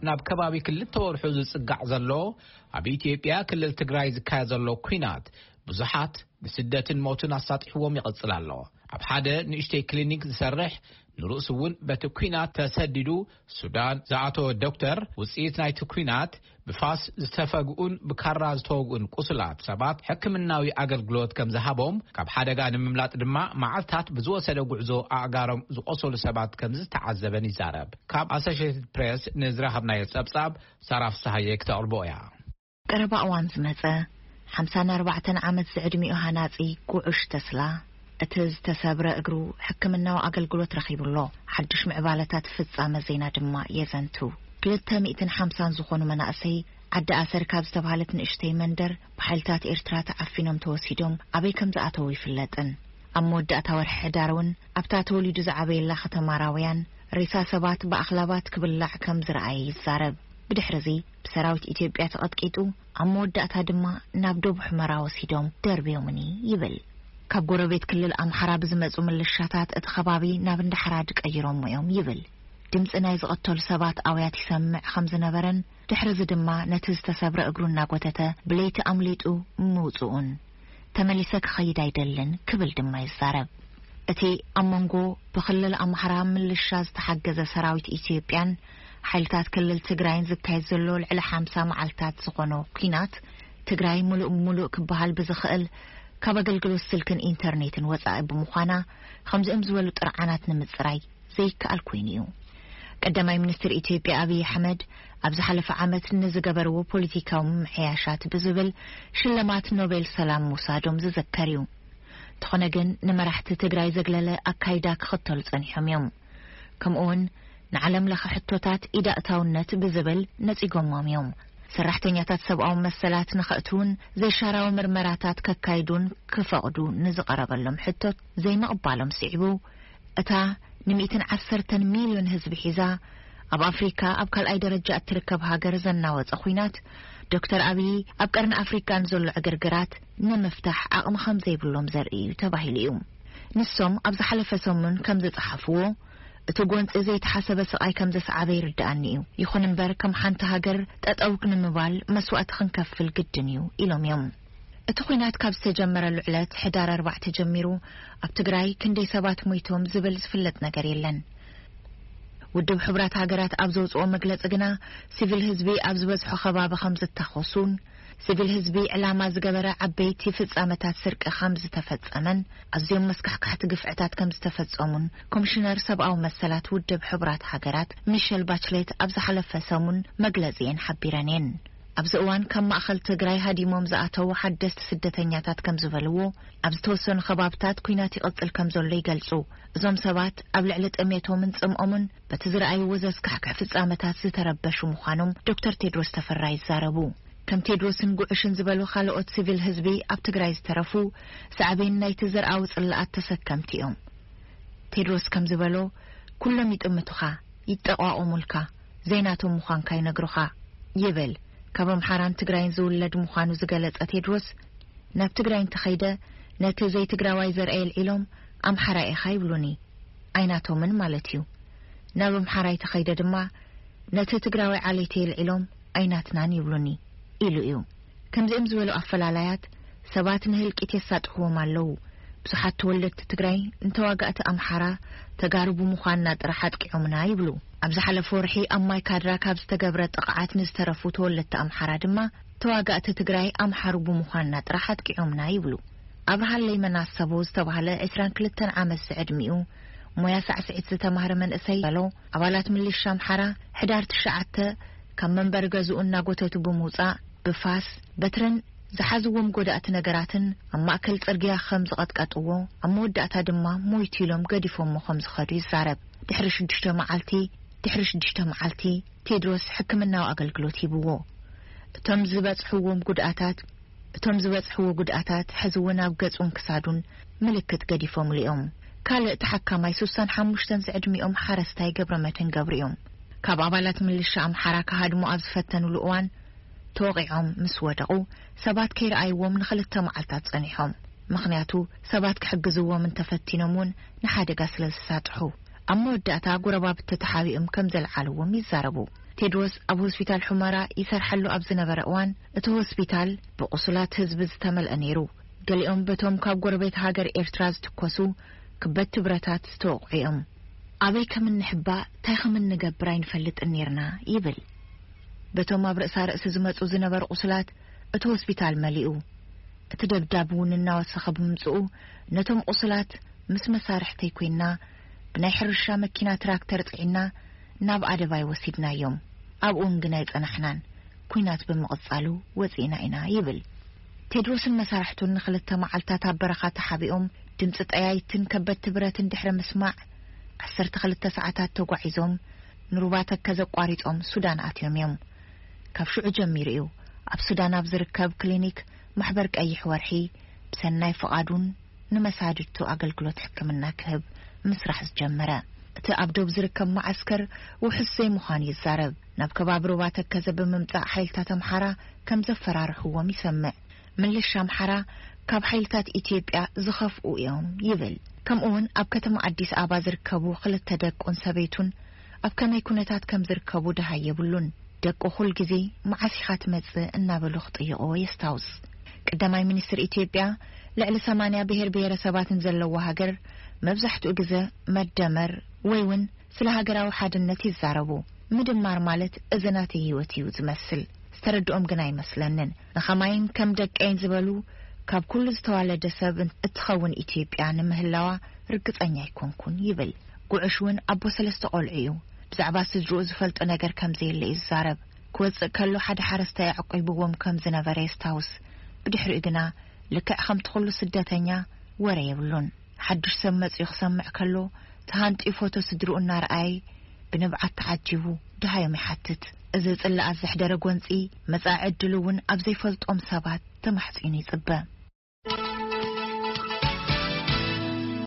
ናብ ከባቢ ክልተ ወርሑ ዝጽጋዕ ዘሎ ኣብ ኢትዮጵያ ክልል ትግራይ ዝካየድ ዘሎ ኲናት ብዙሓት ንስደትን ሞትን ኣሳጢሕዎም ይቕጽል ኣሎ። ኣብ ሓደ ንእሽተይ ክሊኒክ ዝሰርሕ ንርእሱ እውን በቲ ኲናት ተሰዲዱ ሱዳን ዝኣተወ ዶክተር፣ ውጽኢት ናይቲ ኲናት ብፋስ ዝተፈግኡን ብካራ ዝተወግኡን ቁስላት ሰባት ሕክምናዊ ኣገልግሎት ከም ዝሃቦም፣ ካብ ሓደጋ ንምምላጥ ድማ መዓልታት ብዝወሰደ ጉዕዞ ኣእጋሮም ዝቆሰሉ ሰባት ከም ዝተዓዘበን ይዛረብ። ካብ ኣሶሽየትድ ፕሬስ ንዝረኸብናዮ ጸብጻብ ሳራ ፍስሃየ ክተቕርቦ እያ። ቀረባ እዋን ዝመጸ ሓምሳን ኣርባዕተን ዓመት ዝዕድሚኡ ሃናጺ ጉዑሽ ተስላ፣ እቲ ዝተሰብረ እግሩ ሕክምናዊ ኣገልግሎት ረኺቡ ኣሎ። ሓድሽ ምዕባለታት ፍጻመ ዜና ድማ የዘንቱ። ክልተ ሚእትን ሓምሳን ዝኾኑ መናእሰይ ዓዲ ኣሰር ካብ ዝተባህለት ንእሽተይ መንደር ብሓይልታት ኤርትራ ተዓፊኖም ተወሲዶም ኣበይ ከም ዝኣተዉ ይፍለጥን። ኣብ መወዳእታ ወርሒ ሕዳር እውን ኣብታ ተወሊዱ ዝዓበየላ ከተማ ራውያን ሬሳ ሰባት ብኣኽላባት ክብላዕ ከም ዝረኣየ ይዛረብ። ብድሕሪ እዚ ብሰራዊት ኢትዮጵያ ተቐጥቂጡ፣ ኣብ መወዳእታ ድማ ናብ ደቡብ ሑመራ ወሲዶም ደርብዮምኒ ይብል። ካብ ጎረቤት ክልል ኣምሓራ ብዝመጹ ምልሻታት እቲ ከባቢ ናብ እንዳሕራድ ቀይሮሞ እዮም ይብል። ድምጺ ናይ ዝቐተሉ ሰባት ኣውያት ይሰምዕ ከም ዝነበረን፣ ድሕሪ እዚ ድማ ነቲ ዝተሰብረ እግሩ እናጎተተ ብለይቲ ኣምሊጡ ምውጽኡን፣ ተመሊሰ ክኸይድ ኣይደልን ክብል ድማ ይዛረብ። እቲ ኣብ መንጎ ብክልል ኣምሓራ ምልሻ ዝተሓገዘ ሰራዊት ኢትዮጵያን ሓይልታት ክልል ትግራይን ዝካየድ ዘሎ ልዕሊ ሓምሳ መዓልታት ዝኾኖ ኲናት፣ ትግራይ ምሉእ ብምሉእ ክበሃል ብዝኽእል ካብ ኣገልግሎት ስልክን ኢንተርኔትን ወጻኢ ብምዃና፣ ከምዚኦም ዝበሉ ጥርዓናት ንምጽራይ ዘይከኣል ኮይኑ እዩ። ቀዳማይ ሚኒስትር ኢትዮጵያ ኣብይ ኣሕመድ ኣብ ዝሓለፈ ዓመት ንዝገበርዎ ፖለቲካዊ ምምሕያሻት ብዝብል ሽልማት ኖቤል ሰላም ምውሳዶም ዝዝከር እዩ። እንተኾነ ግን ንመራሕቲ ትግራይ ዘግለለ ኣካይዳ ክኽተሉ ጸኒሖም እዮም። ከምኡውን ንዓለም ለኸ ሕቶታት ኢዳእታውነት ብዝብል ነጺጎሞም እዮም። ሰራሕተኛታት ሰብኣዊ መሰላት ንኸእትውን ዘይሻራዊ ምርመራታት ከካይዱን ክፈቕዱ ንዝቐረበሎም ሕቶት ዘይምቕባሎም ስዒቡ፣ እታ ንሚእትን ዓሰርተን ሚልዮን ህዝቢ ሒዛ ኣብ ኣፍሪካ ኣብ ካልኣይ ደረጃ እትርከብ ሃገር ዘናወጸ ኹናት፣ ዶክተር ኣብይ ኣብ ቀርኒ ኣፍሪካ ንዘሎ ዕግርግራት ንምፍታሕ ዓቕሚ ከም ዘይብሎም ዘርኢ እዩ ተባሂሉ እዩ። ንሶም ኣብ ዝሓለፈ ሰሙን ከም ዝጸሓፍዎ፣ እቲ ጎንጺ ዘይተሓሰበ ስቓይ ከም ዘስዓበ ይርድኣኒ እዩ። ይኹን እምበር ከም ሓንቲ ሃገር ጠጠው ንምባል መስዋእቲ ክንከፍል ግድን እዩ ኢሎም እዮም። እቲ ኹናት ካብ ዝተጀመረሉ ዕለት ሕዳር ኣርባዕተ ጀሚሩ ኣብ ትግራይ ክንደይ ሰባት ሞይቶም ዝብል ዝፍለጥ ነገር የለን። ውድብ ሕቡራት ሃገራት ኣብ ዘውፅኦ መግለፂ ግና፣ ሲቪል ህዝቢ ኣብ ዝበዝሖ ከባቢ ከም ዝተኾሱን፣ ሲቪል ህዝቢ ዕላማ ዝገበረ ዓበይቲ ፍጻመታት ስርቂ ከም ዝተፈጸመን ኣዝዮም መስካሕካሕቲ ግፍዕታት ከም ዝተፈጸሙን ኮሚሽነር ሰብኣዊ መሰላት ውድብ ሕቡራት ሃገራት ሚሸል ባችሌት ኣብ ዝሓለፈ ሰሙን መግለጺ እየን ሓቢረን እየን። ኣብዚ እዋን ካብ ማእኸል ትግራይ ሃዲሞም ዝኣተዉ ሓደስቲ ስደተኛታት ከም ዝበልዎ፣ ኣብ ዝተወሰኑ ከባብታት ኲናት ይቕጽል ከም ዘሎ ይገልጹ። እዞም ሰባት ኣብ ልዕሊ ጥሜቶምን ጽምኦምን በቲ ዝረኣይዎ ዘስካሕክሕ ፍጻመታት ዝተረበሹ ምዃኖም ዶክተር ቴድሮስ ተፈራ ይዛረቡ። ከም ቴድሮስን ጉዕሽን ዝበሉ ካልኦት ሲቪል ህዝቢ ኣብ ትግራይ ዝተረፉ ሳዕቤን ናይቲ ዘርኣዊ ጽልኣት ተሰከምቲ እዮም። ቴድሮስ ከም ዝበሎ፣ ኩሎም ይጥምቱኻ፣ ይጠቋቑሙልካ፣ ዘይናቶም ምዃንካ ይነግሩኻ ይብል። ካብ ኣምሓራን ትግራይን ዝውለድ ምዃኑ ዝገለጸ ቴድሮስ፣ ናብ ትግራይ እንተኸይደ ነቲ ዘይትግራዋይ ዘርኣይ ኣልዒሎም ኣምሓራይ ኢኻ ይብሉኒ፣ ኣይናቶምን ማለት እዩ። ናብ ኣምሓራይ ተኸይደ ድማ ነቲ ትግራዋይ ዓሌተይ ኣልዒሎም ኣይናትናን ይብሉኒ ኢሉ እዩ። ከምዚኦም ዝበሉ ኣፈላላያት ሰባት ንህልቂት የሳጥሕዎም ኣለዉ። ብዙሓት ተወለድቲ ትግራይ ንተዋጋእቲ ኣምሓራ ተጋሩ ብምዃንና ጥራሕ ኣጥቂዖምና ይብሉ። ኣብ ዝሓለፈ ወርሒ ኣብ ማይ ካድራ ካብ ዝተገብረ ጥቕዓት ንዝተረፉ ተወለድቲ ኣምሓራ ድማ ተዋጋእቲ ትግራይ ኣምሓሩ ብምዃንና ጥራሕ ኣጥቂዖምና ይብሉ። ኣብርሃለይ መናሰቦ ዝተባህለ ዕስራን ክልተን ዓመት ዝዕድሚኡ ሞያ ሳዕስዒት ዝተማህረ መንእሰይ በሎ፣ ኣባላት ምልሻ ኣምሓራ ሕዳር ትሽዓተ ካብ መንበሪ ገዝኡ እናጎተቱ ብምውጻእ ብፋስ፣ በትርን ዝሓዝዎም ጎዳእቲ ነገራትን ኣብ ማእከል ጽርግያ ከም ዝቐጥቀጥዎ፣ ኣብ መወዳእታ ድማ ሞይቱ ኢሎም ገዲፎሞ ከም ዝኸዱ ይዛረብ። ድሕሪ ሽዱሽተ መዓልቲ፣ ድሕሪ ሽዱሽተ መዓልቲ ቴድሮስ ሕክምናዊ ኣገልግሎት ሂብዎ። እቶም ዝበጽሕዎም ጉድኣታት፣ እቶም ዝበጽሕዎ ጉድኣታት ሕዚ እውን ኣብ ገጹን ክሳዱን ምልክት ገዲፎምሉ እዮም። ካልእ ተሓካማይ ሱሳን ሓሙሽተን ዝዕድሚኦም ሓረስታይ ገብረመድህን ገብሩ እዮም። ካብ ኣባላት ምልሻ ኣምሓራ ክሃድሙ ኣብ ዝፈተኑሉ እዋን ተወቒዖም ምስ ወደቑ፣ ሰባት ከይረኣይዎም ንኽልተ መዓልታት ጸኒሖም። ምኽንያቱ ሰባት ክሕግዝዎም እንተፈቲኖም እውን ንሓደጋ ስለ ዝሳጥሑ። ኣብ መወዳእታ ጎረባብቲ ተሓቢኦም ከም ዘልዓልዎም ይዛረቡ። እቲ ቴድሮስ ኣብ ሆስፒታል ሑመራ ይሰርሐሉ ኣብ ዝነበረ እዋን፣ እቲ ሆስፒታል ብቑሱላት ህዝቢ ዝተመልአ ነይሩ። ገሊኦም በቶም ካብ ጎረቤት ሃገር ኤርትራ ዝትኮሱ ክበድቲ ብረታት ዝተወቕዑ እዮም። ኣበይ ከም እንሕባእ፣ እንታይ ከም እንገብር ኣይንፈልጥን ነይርና ይብል። በቶም ኣብ ርእሳ ርእሲ ዝመጹ ዝነበሩ ቁስላት እቲ ሆስፒታል መሊኡ። እቲ ደብዳብ እውን እናወሰኸ ብምምጽኡ፣ ነቶም ቁስላት ምስ መሳርሕተይ ኮይና ብናይ ሕርሻ መኪና ትራክተር ጽዒና ናብ ኣደባይ ወሲድናዮም። ኣብኡን ግን ኣይጸናሕናን። ኲናት ብምቕጻሉ ወጺእና ኢና ይብል። ቴድሮስን መሳርሕቱን ንኽልተ መዓልታት ኣብ በረኻ ተሓቢኦም ድምጺ ጠያይትን ከበድቲ ብረትን ድሕሪ ምስማዕ፣ ዓሰርተ ክልተ ሰዓታት ተጓዒዞም ንሩባ ተከዘ ኣቋሪጾም ሱዳን ኣትዮም እዮም። ካብ ሽዑ ጀሚሩ እዩ ኣብ ሱዳን ኣብ ዝርከብ ክሊኒክ ማሕበር ቀይሕ ወርሒ ብሰናይ ፍቓዱን ንመሳድድቱ ኣገልግሎት ሕክምና ክህብ ምስራሕ ዝጀመረ። እቲ ኣብ ዶብ ዝርከብ መዓስከር ውሑስ ዘይምዃኑ ይዛረብ። ናብ ከባቢ ሩባ ተከዘ ብምምጻእ ሓይልታት ኣምሓራ ከም ዘፈራርሕዎም ይሰምዕ። ምልሻ ኣምሓራ ካብ ሓይልታት ኢትዮጵያ ዝኸፍኡ እዮም ይብል። ከምኡውን ኣብ ከተማ ኣዲስ ኣበባ ዝርከቡ ክልተ ደቁን ሰበይቱን ኣብ ከመይ ኩነታት ከም ዝርከቡ ደሃይ የብሉን። ደቁ ኩል ግዜ መዓስ ኢኻ ትመጽእ እናበሉ ክጥይቕዎ የስታውስ። ቀዳማይ ሚኒስትር ኢትዮጵያ ልዕሊ ሰማንያ ብሔር ብሔረሰባትን ዘለዎ ሃገር መብዛሕትኡ ግዜ መደመር ወይ እውን ስለ ሃገራዊ ሓድነት ይዛረቡ። ምድማር ማለት እዚ ናተይ ህይወት እዩ ዝመስል። ዝተረድኦም ግን ኣይመስለንን። ንኸማይን ከም ደቀይን ዝበሉ ካብ ኩሉ ዝተዋለደ ሰብ እትኸውን ኢትዮጵያ ንምህላዋ ርግጸኛ ኣይኮንኩን ይብል። ጉዑሽ እውን ኣቦ ሰለስተ ቆልዑ እዩ። ብዛዕባ ስድርኡ ዝፈልጦ ነገር ከም ዘየለ እዩ ዝዛረብ። ክወጽእ ከሎ ሓደ ሓረስታይ ኣዕቂብዎም ከም ዝነበረ የስታውስ። ብድሕሪኡ ግና ልክዕ ከምቲ ኩሉ ስደተኛ ወረ የብሉን። ሓድሽ ሰብ መጺኡ ክሰምዕ ከሎ፣ ተሃንጥዩ ፎቶ ስድርኡ እናረኣየ ብንብዓት ተዓጂቡ ደሃዮም ይሓትት። እዚ ጽላኣት ዘሕደረ ጎንጺ፣ መጻኢ ዕድሉ እውን ኣብ ዘይፈልጦም ሰባት ተማሕጺኑ ይጽበ።